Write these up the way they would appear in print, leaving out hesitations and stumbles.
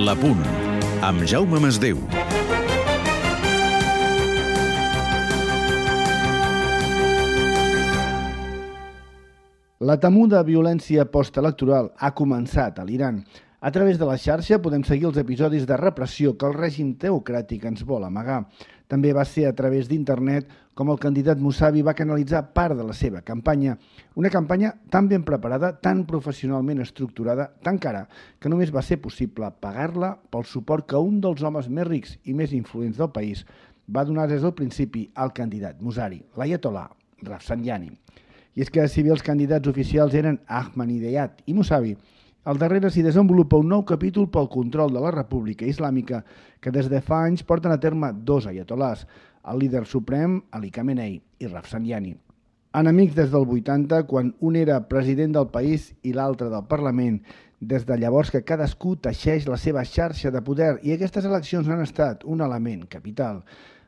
La Punt, amb Jaume Masdeu. La temuda violència postelectoral ha començat a l'Iran. A través de la xarxa podem seguir els episodis de repressió que el règim teocràtic ens vol amagar. També va ser a través d'internet com el candidat Mousavi va canalitzar part de la seva campanya. Una campanya tan ben preparada, tan professionalment estructurada, tan cara, que només va ser possible pagar-la pel suport que un dels homes més rics i més influents del país va donar des del principi al candidat Mousavi, l'aiatol·là Rafsanjani. I és que si bé els candidats oficials eren Ahmadinejad i Mousavi, al darrere s'hi desenvolupa un nou capítol pel control de la República Islàmica que des de fa anys porten a terme dos aiatol·làs, el líder suprem Ali Khamenei i Rafsanjani. Enemics des del 80, quan un era president del país i l'altre del Parlament, des de llavors que cadascú teixeix la seva xarxa de poder i aquestes eleccions han estat un element capital.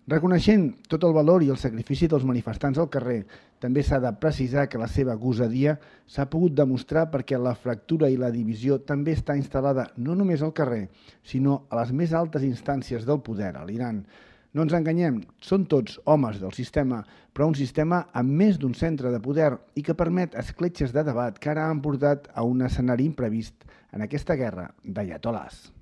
Reconeixent tot el valor i el sacrifici dels manifestants al carrer, també s'ha de precisar que la seva gosadia s'ha pogut demostrar perquè la fractura i la divisió també està instal·lada no només al carrer, sinó a les més altes instàncies del poder a l'Iran. No ens enganyem, són tots homes del sistema, però un sistema amb més d'un centre de poder i que permet escletxes de debat que ara han portat a un escenari imprevist en aquesta guerra d'aiatol·làs.